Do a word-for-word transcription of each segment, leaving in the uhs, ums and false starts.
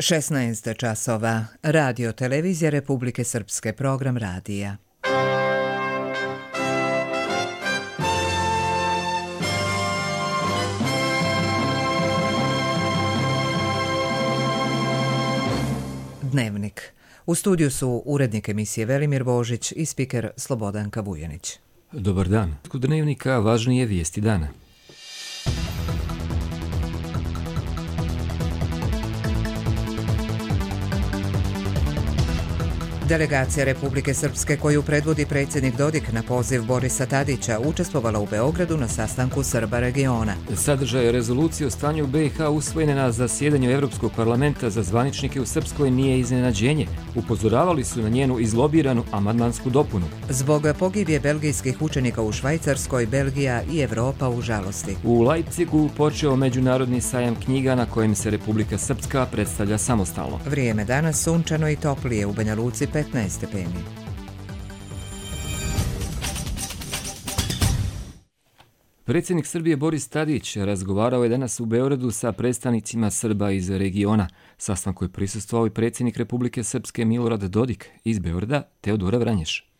šesnaest časova. Radio televizija Republike Srpske, program radija. Dnevnik. U studiju su urednik emisije Velimir Božić i spiker Slobodanka Vujanić. Dobar dan. Kod dnevnika važnije vijesti dana. Delegacija Republike Srpske koju predvodi predsjednik Dodik na poziv Borisa Tadića učestvovala u Beogradu na sastanku Srba regiona. Sadržaj rezolucije o stanju u be i ha usvojene na zasjedanju Evropskog parlamenta za zvaničnike u Srpskoj nije iznenađenje. Upozoravali su na njenu izlobiranu amandmansku dopunu. Zbog pogibije belgijskih učenika u Švajcarskoj, Belgija i Evropa u žalosti. U Leipzigu počeo međunarodni sajam knjiga na kojem se Republika Srpska predstavlja samostalno. Vrijeme danas sunčano i toplije, u Banja Luci petnaest stepeni. Predsjednik Srbije Boris Tadić razgovarao je danas u Beogradu sa predstavnicima Srba iz regiona. Sastanku je prisustvovao i predsjednik Republike Srpske Milorad Dodik, iz Beograda Teodora Vranješ.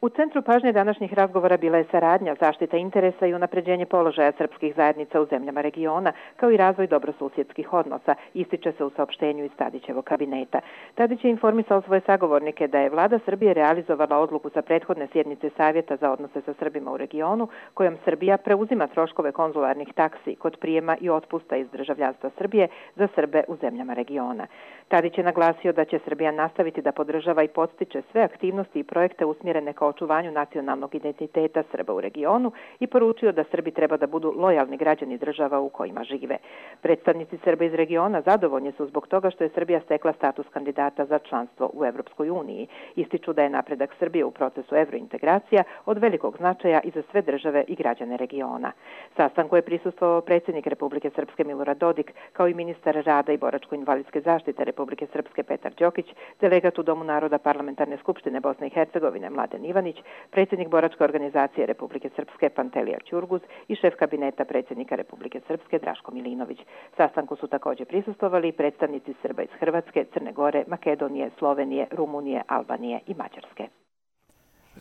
U centru pažnje današnjih razgovora bila je saradnja, zaštita interesa i unapređenje položaja srpskih zajednica u zemljama regiona, kao i razvoj dobrosusjedskih odnosa, ističe se u saopštenju iz Tadićevog kabineta. Tadić je informisao svoje sagovornike da je vlada Srbije realizovala odluku sa prethodne sjednice Savjeta za odnose sa Srbima u regionu, kojom Srbija preuzima troškove konzularnih taksi kod prijema i otpusta iz državljanstva Srbije za Srbe u zemljama regiona. Tadić je naglasio da će Srbija nastaviti da podržava i podstiče sve aktivnosti i projekte usmjerene kao očuvanju nacionalnog identiteta Srba u regionu i poručio da Srbi treba da budu lojalni građani država u kojima žive. Predstavnici Srba iz regiona zadovoljni su zbog toga što je Srbija stekla status kandidata za članstvo u Evropskoj uniji. Ističu da je napredak Srbije u procesu evrointegracija od velikog značaja i za sve države i građane regiona. Sastanku je prisustvovao predsjednik Republike Srpske Milorad Dodik, kao i ministar rada i boračko-invalidske zaštite Republike Srpske Petar Đokić, delegat u Domu naroda Parlamentarne skupštine Bosne i Hercegovine Mladen Ivanić, predsjednik boračke organizacije Republike Srpske Pantelija Ćurguz i šef kabineta predsjednika Republike Srpske Draško Milinović. Sastanku su također prisustvovali predstavnici Srba iz Hrvatske, Crne Gore, Makedonije, Slovenije, Rumunije, Albanije i Mađarske.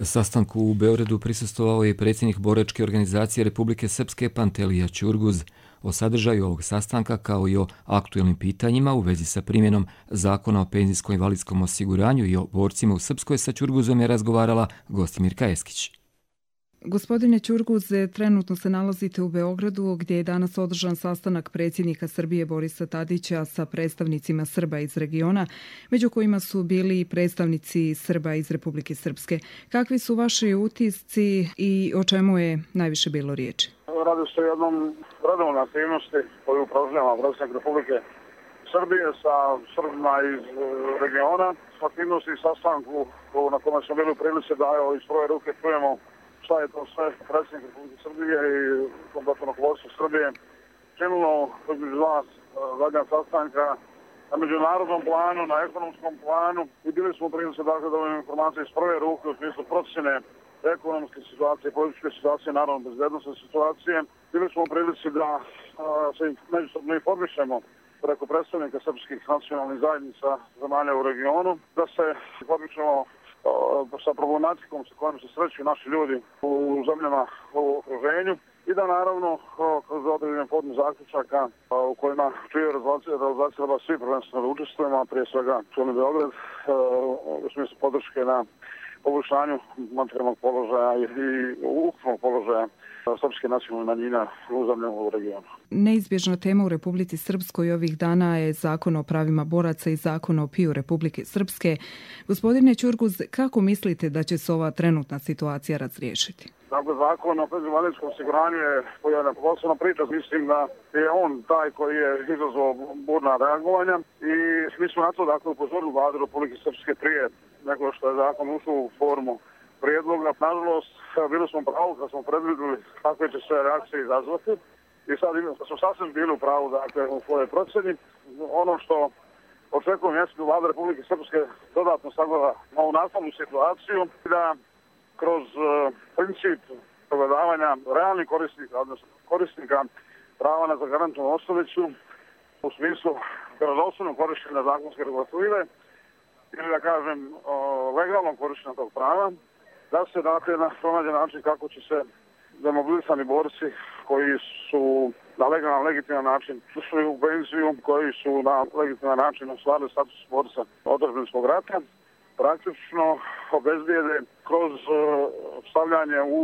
Sastanku u Beogradu prisustvovao je predsjednik boračke organizacije Republike Srpske Pantelija Ćurguz. O sadržaju ovog sastanka kao i o aktuelnim pitanjima u vezi sa primjenom Zakona o penzijsko-invalidskom osiguranju i o borcima u Srpskoj sa Ćurguzom je razgovarala Gostimirka Eskić. Gospodine Ćurguz, trenutno se nalazite u Beogradu gdje je danas održan sastanak predsjednika Srbije Borisa Tadića sa predstavnicima Srba iz regiona, među kojima su bili predstavnici Srba iz Republike Srpske. Kakvi su vaši utisci i o čemu je najviše bilo riječi? Radi se o jednom redovnoj aktivnosti koju upražnjava predsjednik Republike Srbije sa Srbima iz regiona. Aktivnosti i sastanku na kome smo bili u prilici da evo, iz prve ruke čujemo šta je to sve predsjednik Republike Srbije i kompletno rukovodstvo Srbije činilo između vas zadnja sastanka na međunarodnom planu, na ekonomskom planu i bili smo u prilici dakle, da ovim informacije iz prve ruke u smislu procjene ekonomske situacije, političke situacije, naravno bezbednostne situacije. Bili smo u prilici da a, se međusobno informišemo preko predstavnika srpskih nacionalnih zajednica zemalja u regionu, da se informišemo sa problematikom sa kojom se sreću naši ljudi u zemljama u okruženju i da naravno kroz određene formu zaključaka u kojima čuje realizacija treba svi prvenstveno da učestvujemo, a prije svega čuli Beograd u smislu podrške na poboljšanju materijalnog položaja i ukupnog položaja srpske nacionalne manjine u zemljama u regionu. Neizbježna tema u Republici Srpskoj ovih dana je Zakon o pravima boraca i Zakon o piju Republike Srpske. Gospodine Ćurguz, kako mislite da će se ova trenutna situacija razriješiti? Dakle, Zakon o penzijskom osiguranju je jedna posebna priča. Mislim da je on taj koji je izazvao burna reagovanja i mi smo na to dakle, upozorili vladu Republike Srpske prije nego što je zakon ušao u formu prijedloga. Nažalost, bili smo pravo kad smo predvidjeli kakve će sve reakcije izazvati i sad smo sasvim bili u pravu dakle, u svojoj procjeni. Ono što očekujem jeste da vlada Republike Srpske dodatno sagleda ovu nastavnu situaciju i da kroz uh, princip pogledavanja realnih korisnika, odnosno korisnika prava na zagarantovanu osnovicu u smislu vjerodostojno korištenja zakonske regulative ili da kažem legalnom korištenja tog prava, da se dakle pronađe način kako će se demobilisani borci koji su na legalan, legitiman način ušli u penziju, koji su na legitiman način ostvarili status borca odbrambenoga rata, praktično obezbijede kroz stavljanje u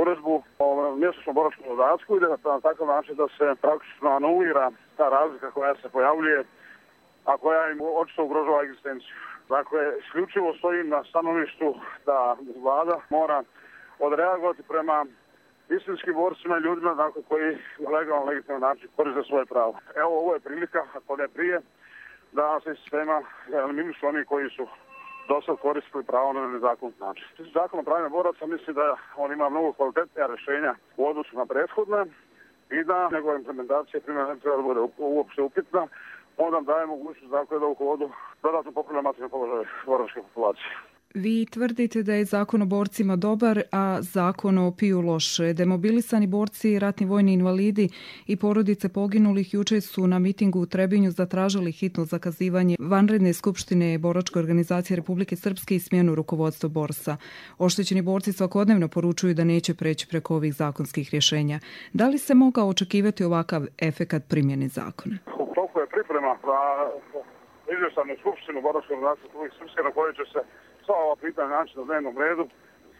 uredbu o mjesečnom boračkom dodatku i da na takav način da se praktično anulira ta razlika koja se pojavljuje, a koja im očito ugrožava egzistenciju. Dakle, isključivo stojim na stanovištu da vlada mora odreagovati prema istinskim borcima i ljudima dakle, koji na legalan, legitiman način koriste svoje pravo. Evo, ovo je prilika, ako ne prije, da se iz sistema eliminišu oni koji su dosad koristili pravo na nezakonit način. Zakon o pravima boraca misli da on ima mnogo kvalitetnija rješenja u odnosu na prethodne i da njegova implementacija primjena ne treba da bude uopšte upitna. On nam daje mogućnost dakle, da u hodu dodatno popravlja materijalne položaje boračke populacije. Vi tvrdite da je zakon o borcima dobar, a zakon o piju loš. Demobilisani borci, ratni vojni invalidi i porodice poginulih juče su na mitingu u Trebinju zatražili hitno zakazivanje vanredne skupštine Boračke organizacije Republike Srpske i smjenu rukovodstva borsa. Oštećeni borci svakodnevno poručuju da neće preći preko ovih zakonskih rješenja. Da li se mogao očekivati ovakav efekat primjene zakona? Toliko je priprema za izvještanu skupštinu Boračke organizacije Republike Srpske na kojoj će se sva ova pitanja naći na dnevnom redu.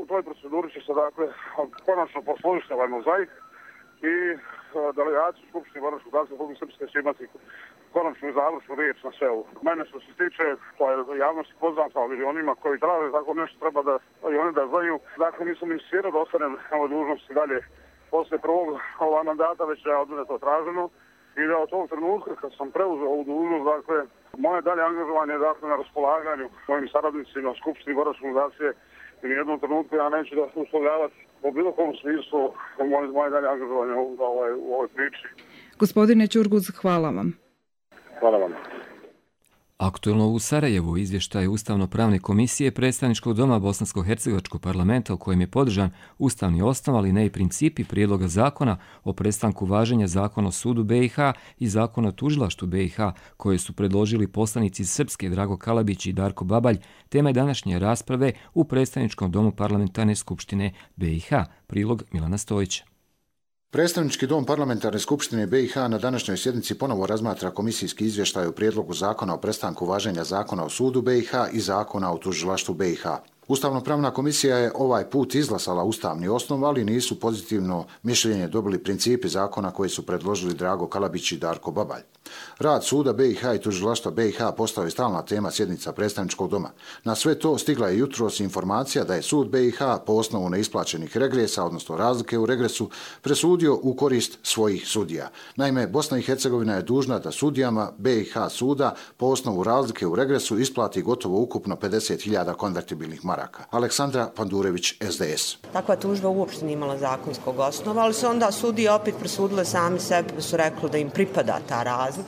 U toj proceduri će se dakle konačno posložiti ovaj mozaik i delegaciju Skupštine Boračke organizacije Republike Srpske će imati konačnu i završnu riječ na sve ovo. Mene što se tiče, to je javnosti poznat, ali onima koji traže tako nešto treba da i oni da znaju. Dakle, nisam insistirao da ostanem na ovoj dužnosti dalje poslije prvog ova mandata, već je od mene to traženo. I da od tog trenutka kad sam preuzeo ovu dužnost, dakle, moje dalje angažovanje je dakle, na raspolaganju mojim saradnicima u Skupštini Boračke organizacije i u jednom trenutku ja neću da uslovljavati po bilo kom smislu moje, moje dalje angažovanje u, u, ovoj, u ovoj priči. Gospodine Ćurguz, hvala vam. Hvala vam. Aktuelno u Sarajevu izvještaj Ustavno-pravne komisije predstavničkog doma Bosansko-hercegovačkog parlamenta u kojem je podržan ustavni osnov, ali ne i principi prijedloga zakona o prestanku važenja zakona o sudu B i H i zakona o tužilaštvu B i H koje su predložili poslanici iz Srpske Drago Kalabić i Darko Babalj, tema je današnje rasprave u predstavničkom domu parlamentarne skupštine B i H. Prilog Milana Stojića. Predstavnički dom parlamentarne skupštine B i H na današnjoj sjednici ponovo razmatra komisijski izvještaj o prijedlogu zakona o prestanku važenja zakona o sudu B i H i zakona o tužilaštvu B i H. Ustavno-pravna komisija je ovaj put izglasala ustavni osnov, ali nisu pozitivno mišljenje dobili principi zakona koje su predložili Drago Kalabić i Darko Babalj. Rad suda B i H i tužilaštva B i H postao je stalna tema sjednica predstavničkog doma. Na sve to stigla je jutros informacija da je sud B i H po osnovu neisplaćenih regresa, odnosno razlike u regresu, presudio u korist svojih sudija. Naime, Bosna i Hercegovina je dužna da sudijama B i H suda po osnovu razlike u regresu isplati gotovo ukupno pedeset hiljada konvertibilnih maraka. Aleksandra Pandurević, S D S. Takva tužba uopšte nije imala zakonskog osnova, ali se onda sudije opet presudile sami sebi, pa su rekli da im pripada ta razlika.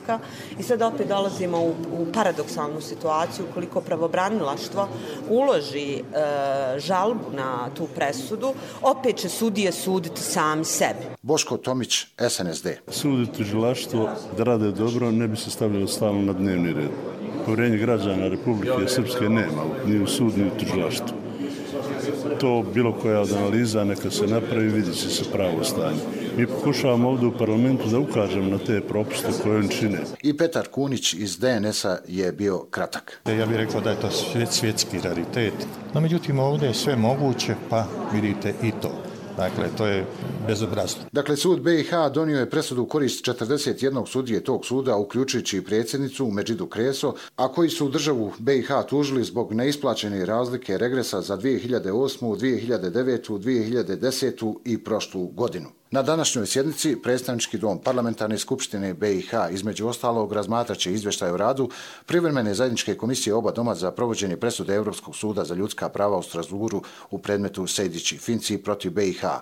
I sad opet dolazimo u, u paradoksalnu situaciju koliko pravobranilaštvo uloži e, žalbu na tu presudu, opet će sudije suditi sami sebi. Boško Tomić, S N S D. Sud i tužilaštvo da rade dobro ne bi se stavljalo stalno na dnevni red. Povjerenje građana Republike Srpske nema ni u sud ni u tužilaštvu. To bilo koja od analiza neka se napravi, vidi će se pravo stanje. Mi pokušavamo ovdje u parlamentu da ukažemo na te propuste koje on čine. I Petar Kunić iz D N S-a je bio kratak. Ja bih rekao da je to svjetski raritet, no međutim ovdje je sve moguće, pa vidite i to. Dakle, to je bezobrazno. Dakle, sud B i H donio je presudu u korist četrdeset jednog sudije tog suda, uključujući i predsjednicu Medžidu Kreso, a koji su državu B i H tužili zbog neisplaćene razlike regresa za dvije hiljade osmu, dvije hiljade devetu, dvije hiljade desetu i prošlu godinu. Na današnjoj sjednici predstavnički dom parlamentarne skupštine B i H između ostalog razmatraće izvještaj o radu privremene zajedničke komisije oba doma za provođenje presude Europskog suda za ljudska prava u Strasburu u predmetu Sejdić i Finci protiv B i H.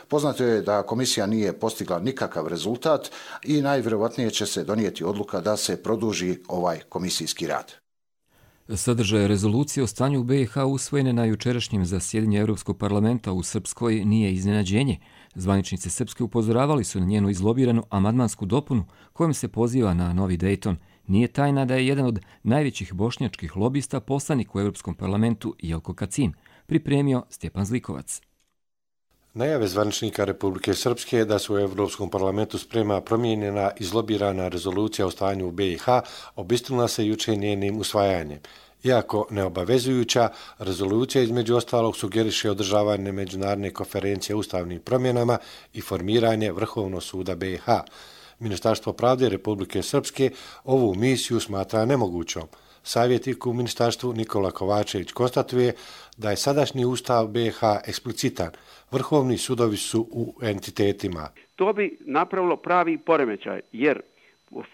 Poznato je da komisija nije postigla nikakav rezultat i najvjerovatnije će se donijeti odluka da se produži ovaj komisijski rad. Sadržaj rezolucije o stanju u B i H usvojene na jučerašnjem zasjedanju Europskog parlamenta u Srpskoj nije iznenađenje. Zvaničnici Srpske upozoravali su na njenu izlobiranu amandmansku dopunu kojom se poziva na novi Dejton. Nije tajna da je jedan od najvećih bošnjačkih lobista poslanik u Europskom parlamentu Jelko Kacin, pripremio Stjepan Zlikovac. Najave zvaničnika Republike Srpske da se u Europskom parlamentu sprema promijenjena izlobirana rezolucija o stanju u be i ha obistinila se juče njenim usvajanjem. Iako neobavezujuća, rezolucija između ostalog sugeriše održavanje međunarodne konferencije o ustavnim promjenama i formiranje Vrhovnog suda be i ha. Ministarstvo pravde Republike Srpske ovu misiju smatra nemogućom. Savjetnik u ministarstvu Nikola Kovačević konstatuje da je sadašnji ustav be i ha eksplicitan. Vrhovni sudovi su u entitetima. To bi napravilo pravi poremećaj, jer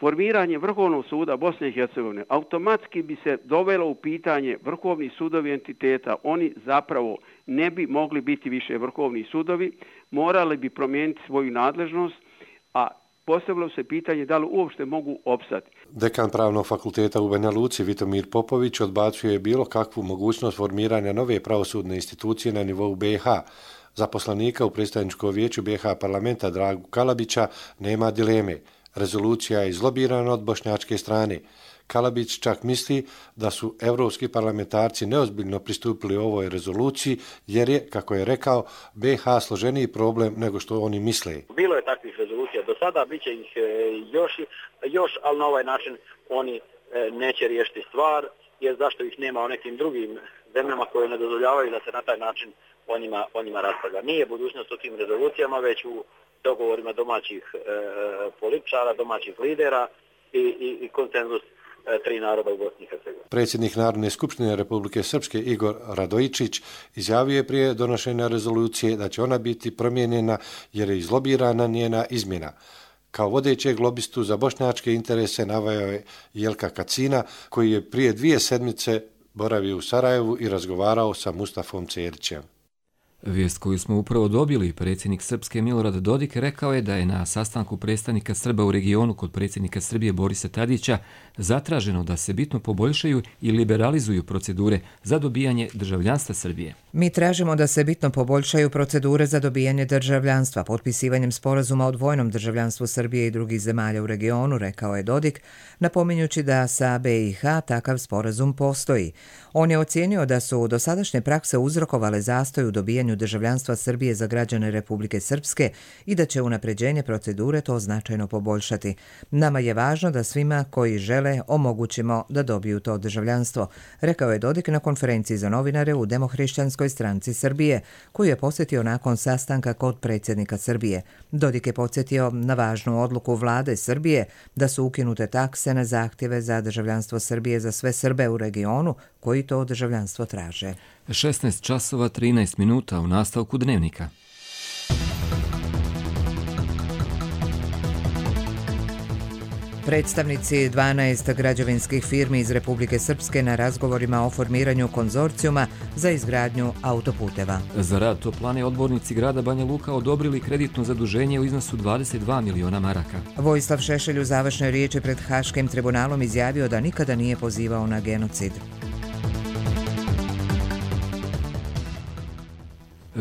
formiranje Vrhovnog suda Bosne i Hercegovine automatski bi se dovelo u pitanje vrhovni sudovi entiteta. Oni zapravo ne bi mogli biti više vrhovni sudovi, morali bi promijeniti svoju nadležnost, a postavilo se pitanje da li uopšte mogu opstati. Dekan Pravnog fakulteta u Banja Luci Vitomir Popović odbacuje bilo kakvu mogućnost formiranja nove pravosudne institucije na nivou be i ha. Zaposlenika u predstavničkom vijeću be i ha parlamenta Dragu Kalabića nema dileme. Rezolucija je izlobirana od bošnjačke strane. Kalabić čak misli da su evropski parlamentarci neozbiljno pristupili ovoj rezoluciji jer je, kako je rekao, be i ha složeniji problem nego što oni misle. Bilo je takvih rezolucija do sada, bit će ih još, još, ali na ovaj način oni neće riješiti stvar, jer zašto ih nema u nekim drugim zemljama koje ne dozvoljavaju da se na taj način o njima, o njima raspravlja. Nije budućnost u tim rezolucijama, već u dogovorima domaćih e, političara, domaćih lidera i, i, i konsenzus e, tri naroda u Bosni i Hercegovini. Predsjednik Narodne skupštine Republike Srpske Igor Radojičić izjavio je prije donošenja rezolucije da će ona biti promijenjena jer je izlobirana njena izmjena. Kao vodećeg lobistu za bošnjačke interese naveo je Jelka Kacina, koji je prije dvije sedmice boravio u Sarajevu i razgovarao sa Mustafom Cerićem. Vijest koju smo upravo dobili, predsjednik Srpske Milorad Dodik rekao je da je na sastanku predstavnika Srba u regionu kod predsjednika Srbije Borisa Tadića zatraženo da se bitno poboljšaju i liberalizuju procedure za dobijanje državljanstva Srbije. Mi tražimo da se bitno poboljšaju procedure za dobijanje državljanstva potpisivanjem sporazuma o dvojnom državljanstvu Srbije i drugih zemalja u regionu, rekao je Dodik, napominjući da sa be i ha takav sporazum postoji. On je ocijenio da su dosadašnje prakse uzrokovale zastoj u dobijanju državljanstva Srbije za građane Republike Srpske i da će unapređenje procedure to značajno poboljšati. Nama je važno da svima koji žele omogućimo da dobiju to državljanstvo, rekao je Dodik na konferenciji za novinare u Demohrišćanskoj stranci Srbije, koju je posjetio nakon sastanka kod predsjednika Srbije. Dodik je podsjetio na važnu odluku vlade Srbije da su ukinute takse na zahtjeve za državljanstvo Srbije za sve Srbe u regionu koji to državljanstvo traže. šesnaest časova trinaest minuta u nastavku dnevnika. Predstavnici dvanaest građevinskih firmi iz Republike Srpske na razgovorima o formiranju konzorcijuma za izgradnju autoputeva. Za rad toplane odbornici grada Banja Luka odobrili kreditno zaduženje u iznosu dvadeset dva miliona maraka. Vojislav Šešelj u završnoj riječi pred Haškim tribunalom izjavio da nikada nije pozivao na genocid.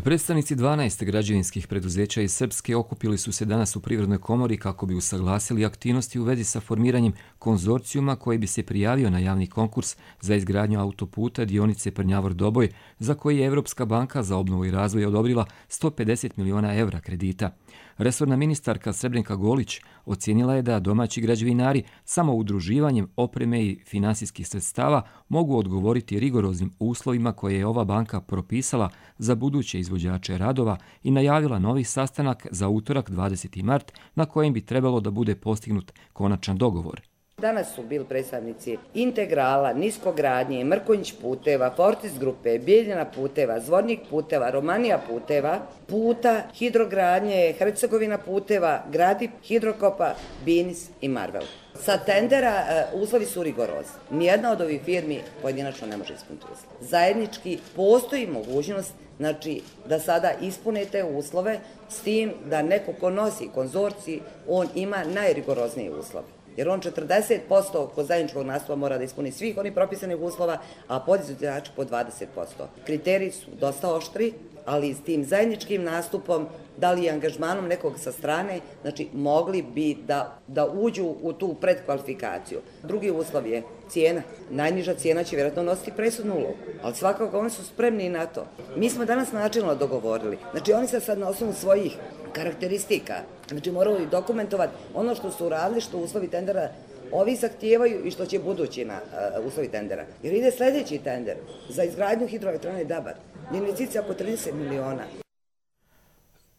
Predstavnici dvanaest građevinskih preduzeća iz Srpske okupili su se danas u Privrednoj komori kako bi usaglasili aktivnosti u vezi sa formiranjem konzorcijuma koji bi se prijavio na javni konkurs za izgradnju autoputa dionice Prnjavor-Doboj, za koji je Evropska banka za obnovu i razvoj odobrila sto pedeset miliona evra kredita. Resorna ministarka Srebrenka Golić ocijenila je da domaći građevinari samo udruživanjem opreme i finansijskih sredstava mogu odgovoriti rigoroznim uslovima koje je ova banka propisala za buduće izvođače radova i najavila novi sastanak za utorak dvadeseti mart na kojem bi trebalo da bude postignut konačan dogovor. Danas su bili predstavnici Integrala, Niskogradnje, Mrkonjić puteva, Fortis grupe, Bijeljina puteva, Zvornik puteva, Romanija puteva, Puta, Hidrogradnje, Hercegovina puteva, Gradi, Hidrokopa, Binis i Marvel. Sa tendera uslovi su rigorozni. Nijedna od ovih firmi pojedinačno ne može ispuniti uslove. Zajednički postoji mogućnost, znači, da sada ispunite uslove s tim da neko ko nosi konzorcij, on ima najrigoroznije uslove. Jer on četrdeset posto kod zajedničkog nastupa mora da ispuni svih onih propisanih uslova, a podizvođači po dvadeset posto. Kriteriji su dosta oštri, ali s tim zajedničkim nastupom, da li angažmanom nekog sa strane, znači mogli bi da, da uđu u tu predkvalifikaciju. Drugi uslov je cijena. Najniža cijena će vjerojatno nositi presudnu ulogu, ali svakako oni su spremni na to. Mi smo danas načelno dogovorili, znači oni se sad na osnovu svojih karakteristika, znači morali dokumentovati ono što su radili, što uslovi tendera ovi zahtijevaju i što će budući na uh, uslovi tendera. Jer ide sljedeći tender za izgradnju hidroelektrane Dabar. Investicija oko trideset miliona.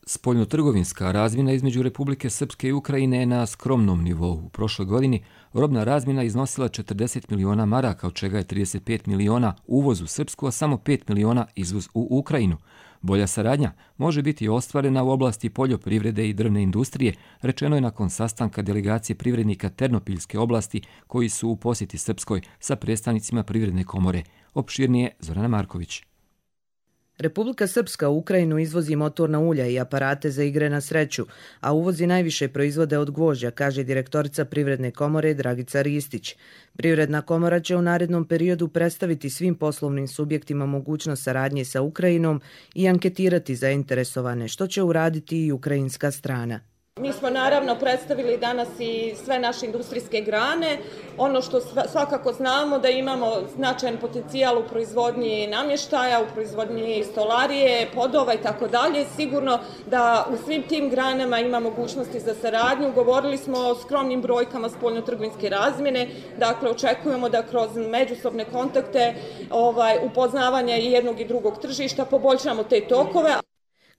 Spoljnotrgovinska razmjena između Republike Srpske i Ukrajine je na skromnom nivou. U prošloj godini robna razmjena iznosila četrdeset miliona maraka, od čega je trideset pet miliona uvoz u Srpsku, a samo pet miliona izvoz u Ukrajinu. Bolja saradnja može biti ostvarena u oblasti poljoprivrede i drvne industrije, rečeno je nakon sastanka delegacije privrednika Ternopiljske oblasti koji su u posjeti Srpskoj sa predstavnicima Privredne komore. Opširnije Zorana Marković. Republika Srpska u Ukrajinu izvozi motorna ulja i aparate za igre na sreću, a uvozi najviše proizvode od gvožđa, kaže direktorica Privredne komore Dragica Ristić. Privredna komora će u narednom periodu predstaviti svim poslovnim subjektima mogućnost saradnje sa Ukrajinom i anketirati zainteresovane, što će uraditi i ukrajinska strana. Mi smo naravno predstavili danas i sve naše industrijske grane. Ono što svakako znamo da imamo značajan potencijal u proizvodnji namještaja, u proizvodnji stolarije, podova i tako dalje. Sigurno da u svim tim granama ima mogućnosti za saradnju. Govorili smo o skromnim brojkama spoljnotrgovinske razmjene. Dakle, očekujemo da kroz međusobne kontakte, ovaj, upoznavanja i jednog i drugog tržišta poboljšamo te tokove.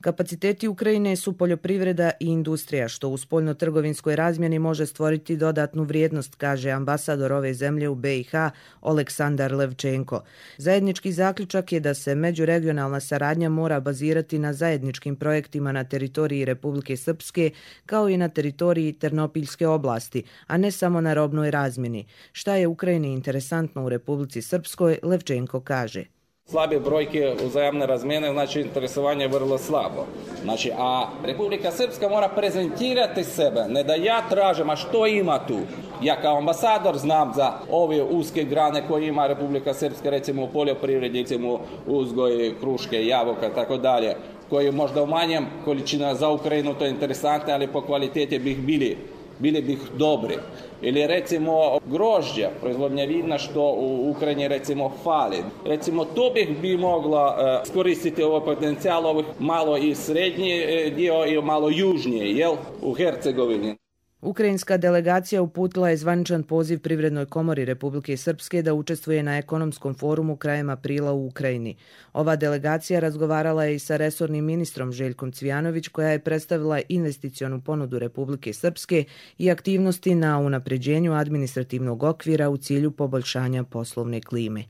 Kapaciteti Ukrajine su poljoprivreda i industrija, što u spoljnotrgovinskoj razmjeni može stvoriti dodatnu vrijednost, kaže ambasador ove zemlje u be i ha Oleksandar Levčenko. Zajednički zaključak je da se međuregionalna saradnja mora bazirati na zajedničkim projektima na teritoriji Republike Srpske kao i na teritoriji Ternopiljske oblasti, a ne samo na robnoj razmjeni. Šta je Ukrajini interesantno u Republici Srpskoj, Levčenko kaže. Slabe brojke uzajamne razmjene, znači interesovanje je vrlo slabo. Znači, a Republika Srpska mora prezentirati sebe, ne da ja tražim, a što ima tu? Ja kao ambasador znam za ove uske grane koje ima Republika Srpska, recimo u poljoprivredi, recimo uzgoj kruške, jabuka, tako dalje, koji možda u manjem količina za Ukrajinu to je interesantno, ali po kvaliteti bih bili bili bih dobri. Ili recimo grožđa, proizvodnja vina što u Ukrajini recimo fali. Recimo to bih bi mogla uh, skoristiti ovaj potencijal ovih malo i srednji dio i malo južnije, jel, u Hercegovini. Ukrajinska delegacija uputila je zvaničan poziv Privrednoj komori Republike Srpske da učestvuje na ekonomskom forumu krajem aprila u Ukrajini. Ova delegacija razgovarala je i sa resornim ministrom Željkom Cvijanović, koja je predstavila investicionu ponudu Republike Srpske i aktivnosti na unapređenju administrativnog okvira u cilju poboljšanja poslovne klime.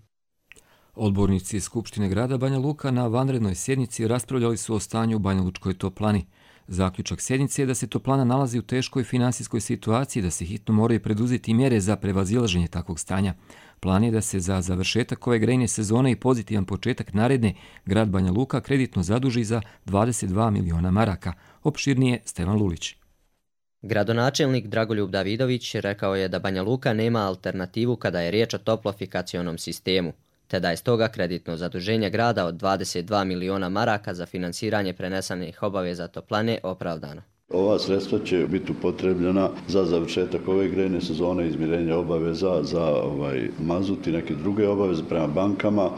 Odbornici Skupštine grada Banja Luka na vanrednoj sjednici raspravljali su o stanju u Banjalučkoj toplani. Zaključak sjednice je da se toplana nalazi u teškoj finansijskoj situaciji, da se hitno moraju preduzeti mjere za prevazilaženje takvog stanja. Plan je da se za završetak ove grejne sezone i pozitivan početak naredne grad Banja Luka kreditno zaduži za dvadeset dva miliona maraka. Opširnije Stevan Lulić. Gradonačelnik Dragoljub Davidović rekao je da Banja Luka nema alternativu kada je riječ o toplofikacionom sistemu, te da je stoga kreditno zaduženje grada od dvadeset dva miliona maraka za finansiranje prenesenih obaveza toplane opravdano. Ova sredstva će biti upotrebljena za završetak ove grejne sezone, izmirenja obaveza za ovaj mazut i neke druge obaveze prema bankama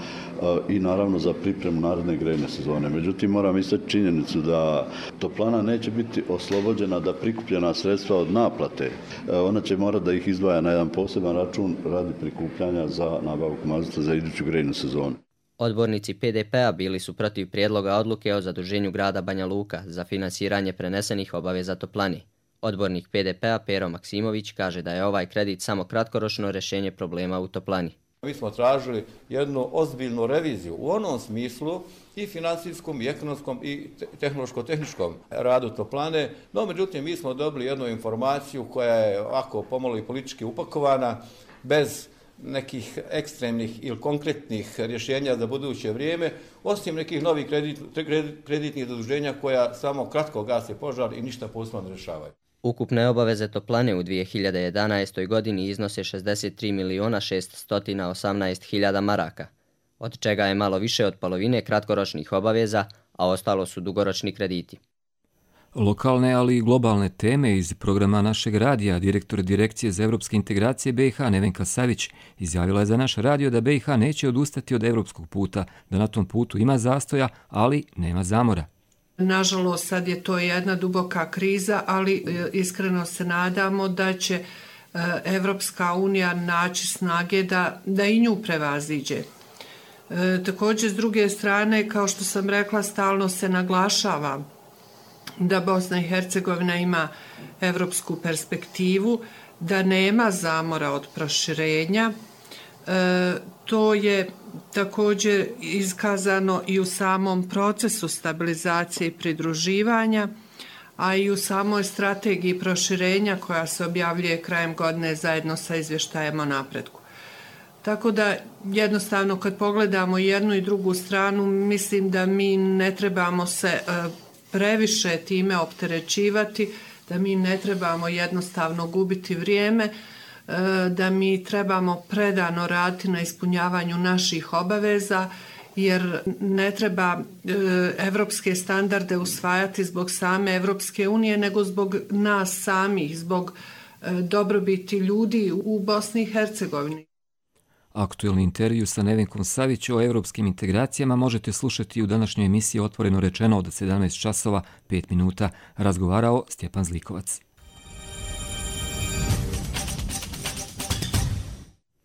i naravno za pripremu naredne grejne sezone. Međutim, moram istaći činjenicu da toplana neće biti oslobođena da prikupljena sredstva od naplate. Ona će morati da ih izdvaja na jedan poseban račun radi prikupljanja za nabavku mazuta za iduću grejnu sezonu. Odbornici pe de pe a bili su protiv prijedloga odluke o zaduženju grada Banja Luka za finansiranje prenesenih obaveza toplani. Odbornik pe de pe a Pero Maksimović kaže da je ovaj kredit samo kratkoročno rješenje problema u toplani. Mi smo tražili jednu ozbiljnu reviziju u onom smislu i financijskom, i ekonomskom, i tehnološko-tehničkom radu toplane, no međutim mi smo dobili jednu informaciju koja je ovako pomalo i politički upakovana, bez nekih ekstremnih ili konkretnih rješenja za buduće vrijeme, osim nekih novih kredit, kreditnih zaduženja koja samo kratko gase požar i ništa posebno ne rješavaju. Ukupne obaveze toplane u dvije hiljade jedanaestoj. godini iznose šezdeset tri miliona šeststo osamnaest hiljada maraka, od čega je malo više od polovine kratkoročnih obaveza, a ostalo su dugoročni krediti. Lokalne, ali i globalne teme iz programa našeg radija, direktor Direkcije za evropske integracije B i H Nevenka Savić izjavila je za naš radio da B i H neće odustati od evropskog puta, da na tom putu ima zastoja, ali nema zamora. Nažalost, sad je to jedna duboka kriza, ali iskreno se nadamo da će Evropska unija naći snage da, da i nju prevaziđe. E, također, s druge strane, kao što sam rekla, stalno se naglašava da Bosna i Hercegovina ima evropsku perspektivu, da nema zamora od proširenja. E, to je također iskazano i u samom procesu stabilizacije i pridruživanja, a i u samoj strategiji proširenja koja se objavljuje krajem godine zajedno sa izvještajem o napretku. Tako da jednostavno kad pogledamo jednu i drugu stranu, mislim da mi ne trebamo se previše time opterećivati, da mi ne trebamo jednostavno gubiti vrijeme, da mi trebamo predano raditi na ispunjavanju naših obaveza, jer ne treba evropske standarde usvajati zbog same Evropske unije, nego zbog nas samih, zbog dobrobiti ljudi u Bosni i Hercegovini. Aktuelni intervju sa Nevenkom Savić o evropskim integracijama možete slušati u današnjoj emisiji Otvoreno rečeno od sedamnaest časova pet minuta. Razgovarao Stjepan Zlikovac.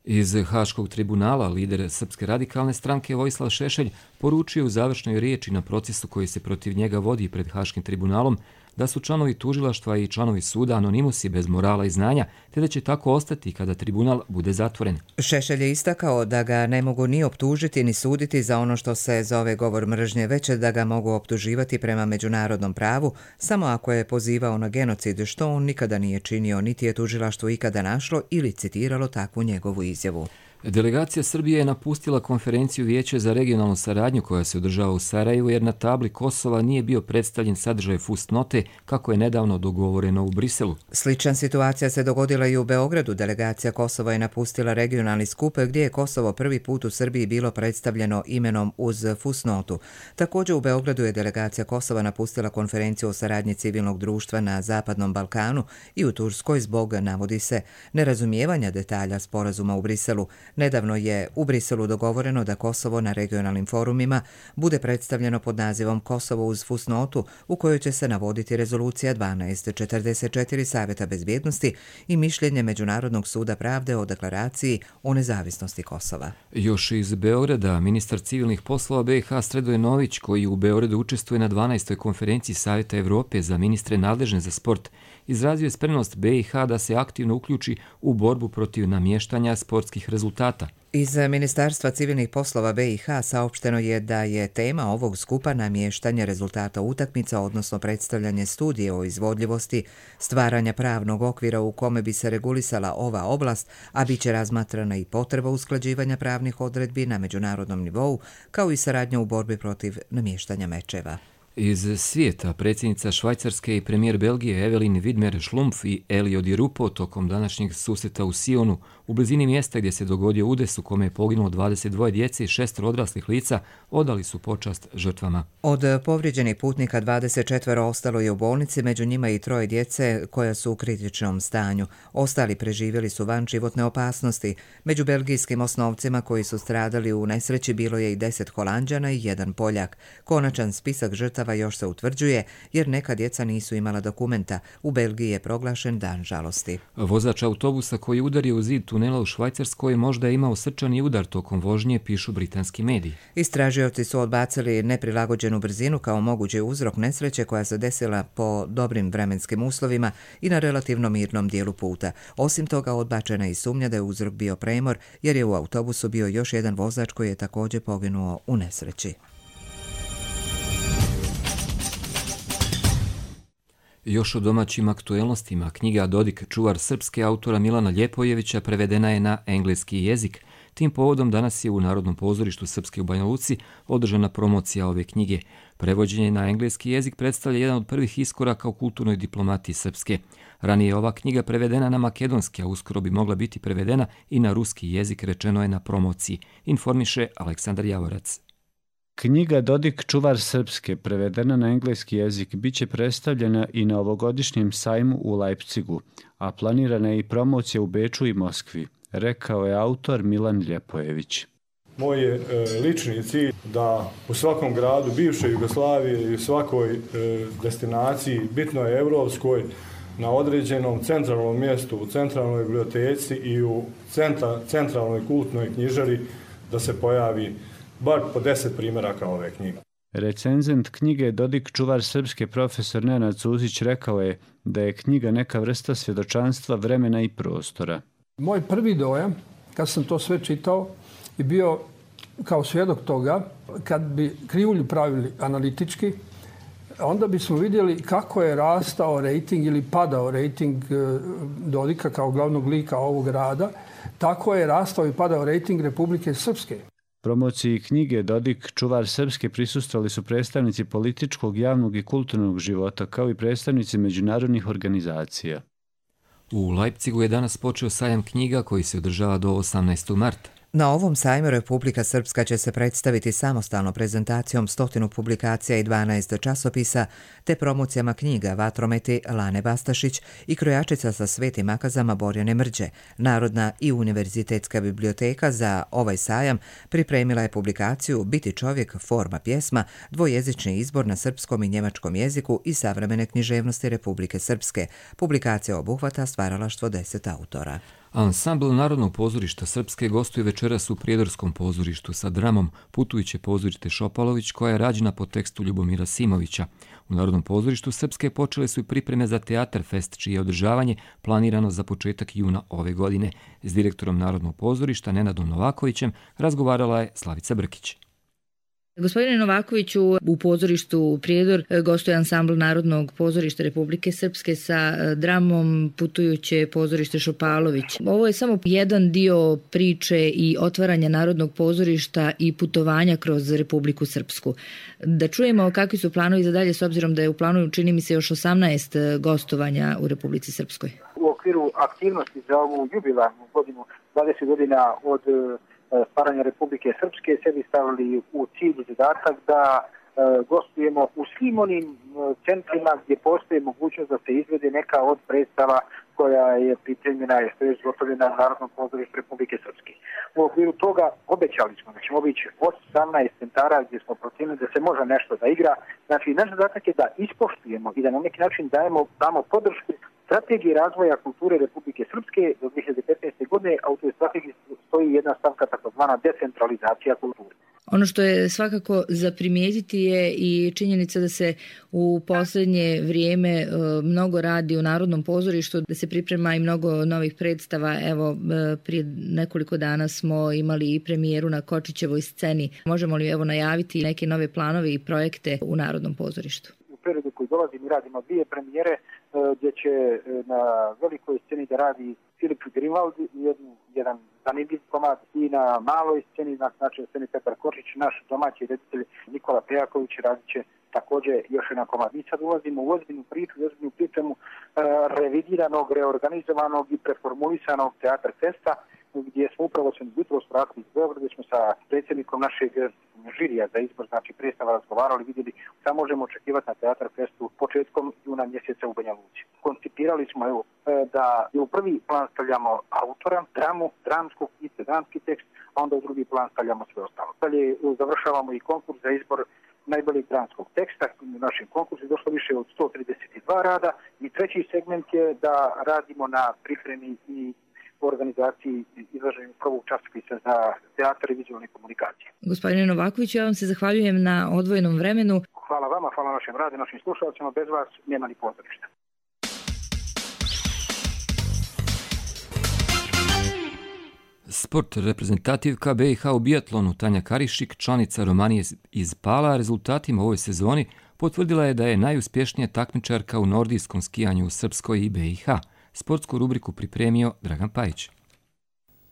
Iz Haškog tribunala lider Srpske radikalne stranke Vojislav Šešelj poručio u završnoj riječi na procesu koji se protiv njega vodi pred Haškim tribunalom da su članovi tužilaštva i članovi suda anonimusi bez morala i znanja, te da će tako ostati kada tribunal bude zatvoren. Šešelj je istakao da ga ne mogu ni optužiti ni suditi za ono što se zove govor mržnje, već da ga mogu optuživati prema međunarodnom pravu, samo ako je pozivao na genocid, što on nikada nije činio, niti je tužilaštvo ikada našlo ili citiralo takvu njegovu izjavu. Delegacija Srbije je napustila konferenciju Vijeća za regionalnu saradnju koja se održava u Sarajevu jer na tabli Kosova nije bio predstavljen sadržaj fusnote kako je nedavno dogovoreno u Briselu. Slična situacija se dogodila i u Beogradu. Delegacija Kosova je napustila regionalni skup gdje je Kosovo prvi put u Srbiji bilo predstavljeno imenom uz fusnotu. Također u Beogradu je delegacija Kosova napustila konferenciju o saradnji civilnog društva na Zapadnom Balkanu i u Turskoj zbog, navodi se, nerazumijevanja detalja sporazuma u Briselu. Nedavno je u Briselu dogovoreno da Kosovo na regionalnim forumima bude predstavljeno pod nazivom Kosovo uz fusnotu, u kojoj će se navoditi rezolucija dvanaest četrdeset četiri Savjeta bezbjednosti i mišljenje Međunarodnog suda pravde o deklaraciji o nezavisnosti Kosova. Još iz Beograda, ministar civilnih poslova B i H Sredoje Nović, koji u Beogradu učestvuje na dvanaestoj konferenciji Savjeta Evrope za ministre nadležne za sport, izrazio je spremnost B i H da se aktivno uključi u borbu protiv namještanja sportskih rezultata. Iz Ministarstva civilnih poslova B i H saopšteno je da je tema ovog skupa namještanje rezultata utakmica, odnosno predstavljanje studije o izvodljivosti, stvaranja pravnog okvira u kome bi se regulisala ova oblast, a bit će razmatrana i potreba usklađivanja pravnih odredbi na međunarodnom nivou, kao i saradnja u borbi protiv namještanja mečeva. Iz svijeta, predsjednica Švajcarske i premijer Belgije Evelyn Widmer-Schlumpf i Elio Di Rupo tokom današnjeg susreta u Sionu, u blizini mjesta gdje se dogodio udes u kome je poginulo dvadeset dvoje djece i šest odraslih lica, odali su počast žrtvama. Od povrijeđenih putnika dvadeset četiri ostalo je u bolnici, među njima i troje djece koja su u kritičnom stanju. Ostali preživjeli su van životne opasnosti. Među belgijskim osnovcima koji su stradali u nesreći bilo je i deset Holanđana i jedan Poljak. Konačan spisak žrtava još se utvrđuje jer neka djeca nisu imala dokumenta. U Belgiji je proglašen dan žalosti. Vozač autobusa koji udario u zid tunela u Švajcarskoj možda je imao srčani udar tokom vožnje, pišu britanski mediji. Istražioci su odbacili neprilagođenu brzinu kao mogući uzrok nesreće koja se desila po dobrim vremenskim uslovima i na relativno mirnom dijelu puta. Osim toga, odbačena je i sumnja da je uzrok bio premor jer je u autobusu bio još jedan vozač koji je također poginuo u nesreći. Još o domaćim aktuelnostima, knjiga Dodik, čuvar srpske autora Milana Ljepojevića prevedena je na engleski jezik. Tim povodom danas je u Narodnom pozorištu Srpske u Banja Luci održana promocija ove knjige. Prevođenje na engleski jezik predstavlja jedan od prvih iskoraka u kulturnoj diplomatiji Srpske. Ranije je ova knjiga prevedena na makedonski, a uskoro bi mogla biti prevedena i na ruski jezik, rečeno je na promociji, informiše Aleksandar Javorac. Knjiga Dodik čuvar srpske, prevedena na engleski jezik, bit će predstavljena i na ovogodišnjem sajmu u Leipzigu, a planirana je i promocija u Beču i Moskvi, rekao je autor Milan Ljepojević. Moj je e, lični cilj da u svakom gradu bivše Jugoslavije i u svakoj e, destinaciji, bitno je evropskoj, na određenom centralnom mjestu, u centralnoj biblioteci i u centra, centralnoj kultnoj knjižari da se pojavi bar po deset primjeraka ove knjige. Recenzent knjige Dodik čuvar srpske profesor Nenad Cuzić rekao je da je knjiga neka vrsta svjedočanstva vremena i prostora. Moj prvi dojam, kad sam to sve čitao, je bio kao svjedok toga, kad bi krivulju pravili analitički, onda bismo vidjeli kako je rastao rejting ili padao rejting Dodika kao glavnog lika ovog rada, tako je rastao i padao rejting Republike Srpske. Promociji knjige Dodik čuvar srpske prisustvovali su predstavnici političkog, javnog i kulturnog života, kao i predstavnici međunarodnih organizacija. U Leipzigu je danas počeo sajam knjiga koji se održava do osamnaestog marta. Na ovom sajmu Republika Srpska će se predstaviti samostalno prezentacijom stotinu publikacija i dvanaest časopisa, te promocijama knjiga Vatrometi Lane Bastašić i krojačica sa svetim akazama Borjane Mrđe. Narodna i univerzitetska biblioteka za ovaj sajam pripremila je publikaciju Biti čovjek, forma pjesma, dvojezični izbor na srpskom i njemačkom jeziku i savremene književnosti Republike Srpske. Publikacija obuhvata stvaralaštvo deset autora. Ansambl Narodnog pozorišta Srpske gostuje večeras u Prijedorskom pozorištu sa dramom Putujuće pozorište Šopalović, koja je rađena po tekstu Ljubomira Simovića. U Narodnom pozorištu Srpske počele su i pripreme za Teatar Fest, čije je održavanje planirano za početak juna ove godine. S direktorom Narodnog pozorišta Nenadom Novakovićem razgovarala je Slavica Brkić. Gospodine Novakoviću, u pozorištu Prijedor gostuje ansambl Narodnog pozorišta Republike Srpske sa dramom Putujuće pozorište Šopalović. Ovo je samo jedan dio priče i otvaranja Narodnog pozorišta i putovanja kroz Republiku Srpsku. Da čujemo kakvi su planovi za dalje, s obzirom da je u planu, čini mi se, još osamnaest gostovanja u Republici Srpskoj. U okviru aktivnosti za ovu jubilarnu godinu, dvadeset godina od stvaranja Republike Srpske, sebi stavili u cilj i zadatak da e, gostujemo u svim onim e, centrima gdje postoji mogućnost da se izvede neka od predstava koja je pripremljena i što je zgotovljena u Narodnom pozorištu Republike Srpske. U okviru toga obećali smo da ćemo obići osamnaest centara gdje smo procijenili da se može nešto da igra. Znači, naš zadatak je da ispoštujemo i da na neki način dajemo, damo podršku strategiji razvoja kulture Republike Srpske do dvije hiljade petnaeste. godine, a u toj strategiji stoji jedna stavka takozvana decentralizacija kulture. Ono što je svakako za primijetiti je i činjenica da se u posljednje vrijeme mnogo radi u Narodnom pozorištu, da se priprema i mnogo novih predstava. Evo, prije nekoliko dana smo imali i premijeru na Kočićevoj sceni. Možemo li evo najaviti neke nove planove i projekte u Narodnom pozorištu? U periodu koji dolazi mi radimo dvije premijere gdje će na velikoj sceni da radi Filip Grimaldi, jednu, jedan zanimljiv komad, i na maloj sceni, na znači sceni Petar Kočić, naš domaći reditelj Nikola Pejaković radit će također još jedan komad. Mi sad ulazimo u ozbiljnu priču, u ozbiljnu pripremu revidiranog, reorganizovanog i preformulisanog Teatar Festa, gdje smo upravo se jutro spratili iz Beograda, gdje smo sa predsjednikom našeg žirija za izbor, znači predstava, razgovarali, vidjeli šta možemo očekivati na Teatar Festu početkom juna mjeseca u Banja Luci. Koncipirali smo evo, da u prvi plan stavljamo autora, dramu, dramskog i dramski tekst, a onda u drugi plan stavljamo sve ostalo. Dalje završavamo i konkurs za izbor najboljeg dramskog teksta. U našem konkursu je došlo više od sto trideset dva rada i treći segment je da radimo na pripremi i u organizaciji izlaženju prvog časopisa za teatar i vizualne komunikacije. Gospodine Novakoviću, ja vam se zahvaljujem na odvojenom vremenu. Hvala vama, hvala našem radu, našim slušalcima. Bez vas nema ni pozorišta. Sport. Reprezentativka B i H u biatlonu Tanja Karišik, članica Romanije iz Pala, rezultatima u ovoj sezoni potvrdila je da je najuspješnija takmičarka u nordijskom skijanju u Srpskoj i B i H. Sportsku rubriku pripremio Dragan Pajić.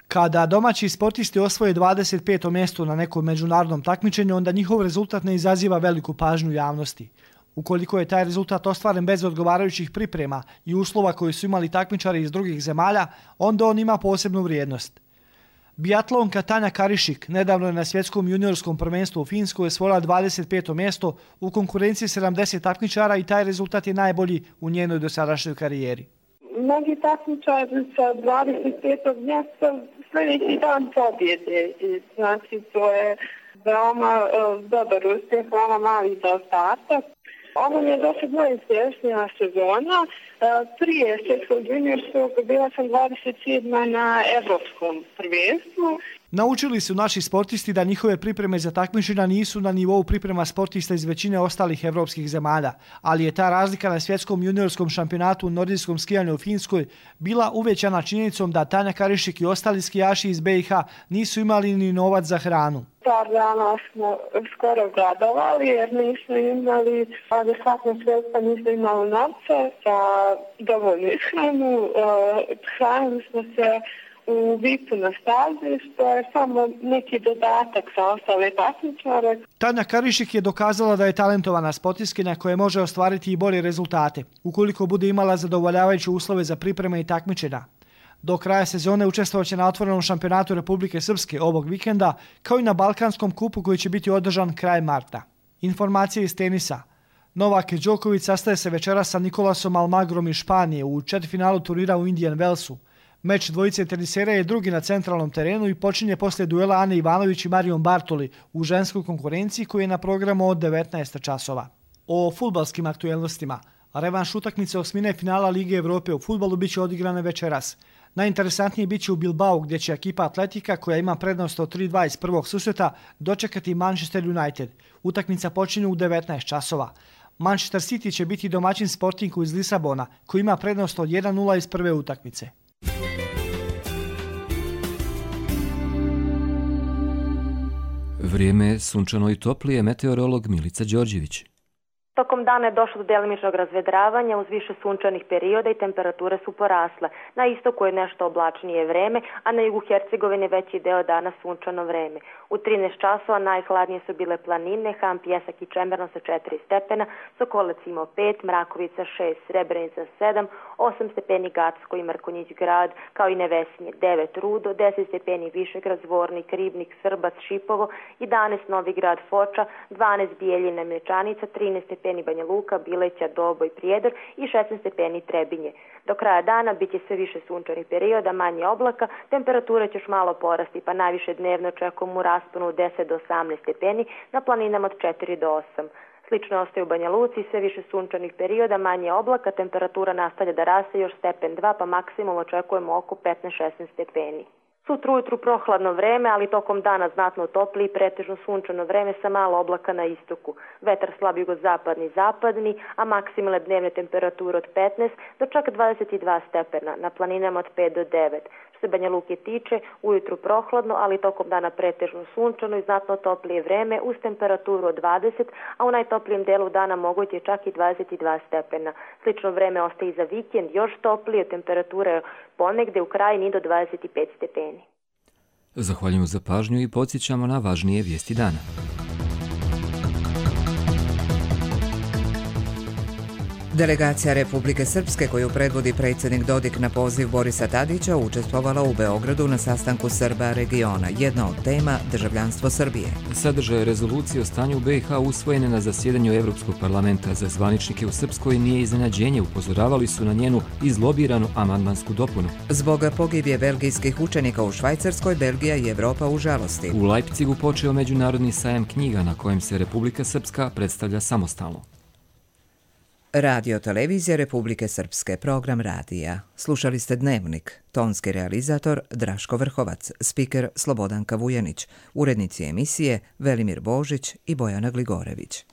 Kada domaći sportisti osvoje dvadeset peto mjesto na nekom međunarodnom takmičenju, onda njihov rezultat ne izaziva veliku pažnju javnosti. Ukoliko je taj rezultat ostvaren bez odgovarajućih priprema i uslova koje su imali takmičari iz drugih zemalja, onda on ima posebnu vrijednost. Biatlonka Tanja Karišik nedavno je na svjetskom juniorskom prvenstvu u Finskoj osvojila dvadeset peto mjesto u konkurenciji sedamdeset takmičara i taj rezultat je najbolji u njenoj dosadašnjoj karijeri. Mnogi takmičari sa dvadeset petog mjesta sljedeći dan pobjede. Znači, to je veoma uh, dobar uspjeh, veoma mali zaostatak. Ovo mi je došla moja sljedeća sezona. Prije svjetskog juniorskog bila sam dvadeset sedma na evropskom prvenstvu. Naučili su naši sportisti da njihove pripreme za takmičenja nisu na nivou priprema sportista iz većine ostalih evropskih zemalja, ali je ta razlika na svjetskom juniorskom šampionatu u nordijskom skijanju u Finskoj bila uvećana činjenicom da Tanja Karišik i ostali skijaši iz B i H nisu imali ni novac za hranu. Par dana smo skoro gladovali jer nismo imali adekvatno sredstva, nismo imali novce za dovoljnu ishranu. Hranili smo se u vipu na stazi, što je samo neki dodatak za ostale takmičare. Tanja Karišik je dokazala da je talentovana sportistkinja koja može ostvariti i bolje rezultate, ukoliko bude imala zadovoljavajuće uslove za pripreme i takmičenja. Do kraja sezone učestvovaće na otvorenom šampionatu Republike Srpske ovog vikenda, kao i na Balkanskom kupu koji će biti održan kraj marta. Informacije iz tenisa. Novak Đoković sastaje se večeras sa Nikolasom Almagrom iz Španije u četvrtfinalu turnira u Indian Wellsu. Meč dvojice tenisera je drugi na centralnom terenu i počinje poslije duela Ane Ivanović i Marijom Bartoli u ženskoj konkurenciji koji je na programu od devetnaest časova. O fudbalskim aktuelnostima. Revanš utakmice osmine finala Lige Evrope u fudbalu biće odigrane večeras. Najinteresantnije biće u Bilbao gdje će ekipa Atletika koja ima prednost od tri dva iz prvog susreta dočekati Manchester United. Utakmica počinje u devetnaest časova. Manchester City će biti domaćin Sportingu iz Lisabona koji ima prednost od jedan nula iz prve utakmice. Vrijeme je sunčano i toplije, meteorolog Milica Đorđević. Tokom dana je došlo do delimičnog razvedravanja uz više sunčanih perioda i temperature su porasle. Na istoku je nešto oblačnije vreme, a na jugu Hercegovine veći deo dana sunčano vreme. U trinaest časova najhladnije su bile planine, Ham, Pjesak i Čemerno sa četiri stepena, Sokolac imao pet, Mrakovica šest, Srebrenica sedam, osam stepeni Gacko i Mrkonjić grad, kao i Nevesinje devet, Rudo, deset stepeni Višegrad, Zvornik, Ribnik, Srbac, Šipovo, jedanaest Novigrad, Foča, dvanaest Bijeljina, Mlječanica, trinaest stepeni Banja Luka, Bileća, Doboj, Prijedor i šesnaest stepeni Trebinje. Do kraja dana bit će sve više sunčanih perioda, manje oblaka, temperature će još malo porasti, pa najviše dnevno očekujemo u rasponu od deset do osamnaest stepeni, na planinama od četiri do osam. Slično ostaje u Banja Luci, sve više sunčanih perioda, manje oblaka, temperatura nastavlja da raste još stepen dva, pa maksimum očekujemo oko petnaest do šesnaest stepeni. Sutra ujutru prohladno vreme, ali tokom dana znatno topli i pretežno sunčano vreme sa malo oblaka na istoku. Vetar slab jugozapadni zapadni, a maksimalne dnevne temperature od petnaest do čak dvadeset dva stepena, na planinama od pet do devet. Što se Banja Luke tiče, ujutru prohladno, ali tokom dana pretežno sunčano i znatno toplije vreme uz temperaturu od dvadeset, a u najtoplijem delu dana moguće je čak i dvadeset dva stepena. Slično vreme ostaje i za vikend, još toplije, temperature ponegde u krajini do dvadeset pet stepeni. Zahvaljujemo za pažnju i podsjećamo na važnije vijesti dana. Delegacija Republike Srpske koju predvodi predsjednik Dodik na poziv Borisa Tadića učestvovala u Beogradu na sastanku Srba regiona. Jedna od tema državljanstvo Srbije. Sadržaj rezolucije o stanju u B i H usvojene na zasjedanju Evropskog parlamenta za zvaničnike u Srpskoj nije iznenađenje, upozoravali su na njenu izlobiranu amandmansku dopunu. Zbog pogibije belgijskih učenika u Švajcarskoj, Belgija i Evropa u žalosti. U Leipzigu počeo međunarodni sajam knjiga na kojem se Republika Srpska predstavlja samostalno. Radio Televizija Republike Srpske, program radija. Slušali ste Dnevnik, tonski realizator Draško Vrhovac, spiker Slobodanka Vujanić, urednici emisije Velimir Božić i Bojana Gligorević.